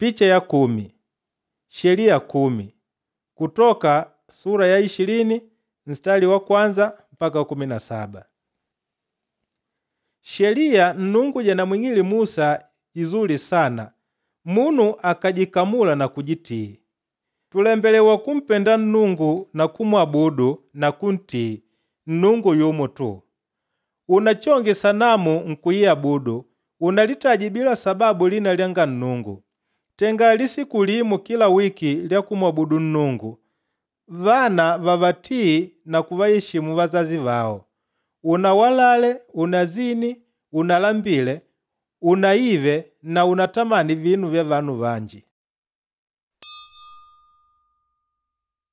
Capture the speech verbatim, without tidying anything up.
Picha ya kumi. Sheliya kumi. Kutoka sura ya ishilini nstari wa kwanza mpaka kumi na saba. Sheliya Nnungu janamwing'ile Musa izuli sana, munu akajikamula na kujitii. Tulembelewa kumpenda Nnungu na kumwabudu na kuntii, Nnungu yumo tu. Unachonge sanamu nkuiabudu, unalitaje bila sababu lina lyanga Nnungu. Tenga lisiku limo kila wiki lya kumwabudu Nnungu. Vana vavatii na kuvaheshimu vazazi vao. Unawalale, unazini, unalambile, unaive na unatamani vinu vya vanu vanji.